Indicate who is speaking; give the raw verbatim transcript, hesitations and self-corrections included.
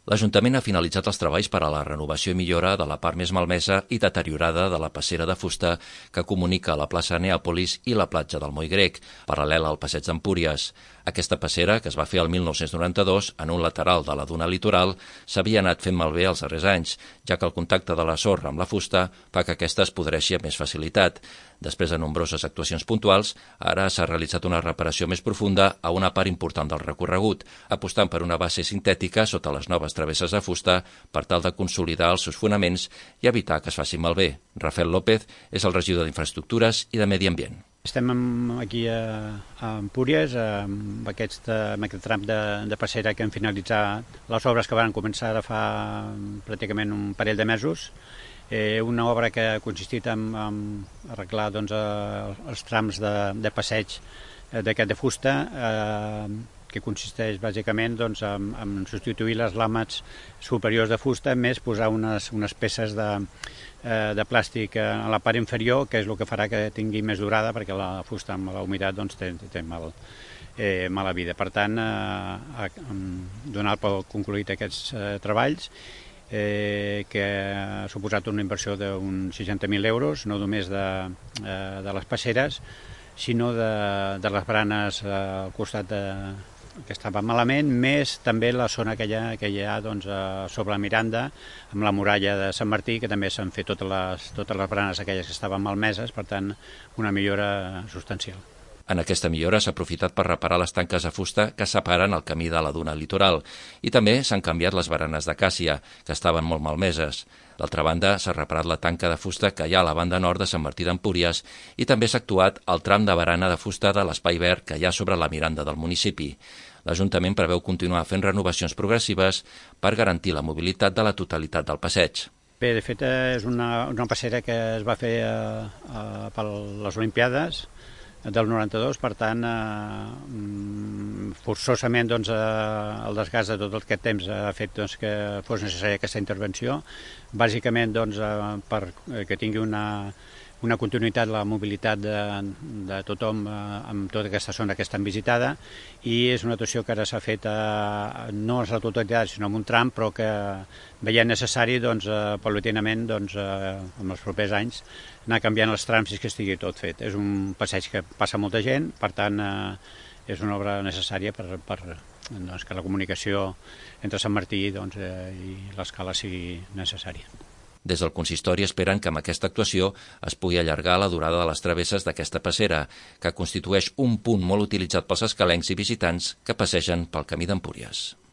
Speaker 1: L'Ajuntament ha finalitzat els treballs per a la renovació i millora de la part més malmesa i deteriorada de la passera de fusta que comunica la plaça Neàpolis i la platja del Moll Grec, paral·lela al passeig d'Empúries. Aquesta passera, que es va fer el mil nou-cents noranta-dos en un lateral de la duna litoral, s'havia anat fent malbé els darrers anys, ja que el contacte de la sorra amb la fusta fa que aquesta es podreixi amb més facilitat. Després de nombroses actuacions puntuals, ara s'ha realitzat una reparació més profunda a una part important del recorregut, apostant per una base sintètica sota les noves travesses de fusta per tal de consolidar els seus fonaments i evitar que es faci malbé. Rafael López és el regidor d'Infraestructures i de Medi Ambient.
Speaker 2: Estem aquí a, a Empúries, amb aquest, amb aquest tram de, de passera que hem finalitzat les obres que van començar ara fa pràcticament un parell de mesos. Eh, una obra que ha consistit en, en arreglar doncs, els trams de, de passeig d'aquest de fusta, eh, que consisteix bàsicament doncs, en, en substituir les làmets superiors de fusta més posar unes, unes peces de, eh, de plàstic a la part inferior, que és el que farà que tingui més durada, perquè la fusta amb la humitat doncs, té, té mal, eh, mala vida. Per tant, eh, donar per concluït aquests eh, treballs, eh, que ha suposat una inversió d'uns seixanta mil euros, no només de, eh, de les passeres, sinó de, de les baranes eh, al costat de, que estava malament, més també la zona que hi ha, que hi ha doncs, sobre la Miranda, amb la muralla de Sant Martí, que també s'han fet totes les, totes les baranes aquelles que estaven malmeses, per tant, una millora substancial.
Speaker 1: En aquesta millora s'ha aprofitat per reparar les tanques de fusta que separen el camí de la duna litoral i també s'han canviat les baranes d'acàcia, que estaven molt malmeses. D'altra banda, s'ha reparat la tanca de fusta que hi ha a la banda nord de Sant Martí d'Empúries i també s'ha actuat el tram de barana de fusta de l'espai verd que hi ha sobre la Miranda del municipi. L'Ajuntament preveu continuar fent renovacions progressives per garantir la mobilitat de la totalitat del passeig.
Speaker 2: Bé, de fet, és una, una passera que es va fer eh, eh, per les Olimpiades del noranta-dos, per tant, eh, forçosament doncs, eh, el desgast de tot aquest temps ha fet doncs, que fos necessària aquesta intervenció, bàsicament doncs, eh, per que tingui una, una continuïtat, la mobilitat de, de tothom eh, amb tota aquesta zona que és tan visitada, i és una actuació que ara s'ha fet eh, no a la totalitat, sinó en un tram, però que veient necessari, doncs, eh, paulatinament, doncs, eh, en els propers anys, anar canviant els trams fins que estigui tot fet. És un passeig que passa molta gent, per tant, eh, és una obra necessària per, per doncs, que la comunicació entre Sant Martí doncs, eh, i l'escala sigui necessària.
Speaker 1: Des del consistori esperen que amb aquesta actuació es pugui allargar la durada de les travesses d'aquesta passera, que constitueix un punt molt utilitzat pels escalencs i visitants que passegen pel camí d'Empúries.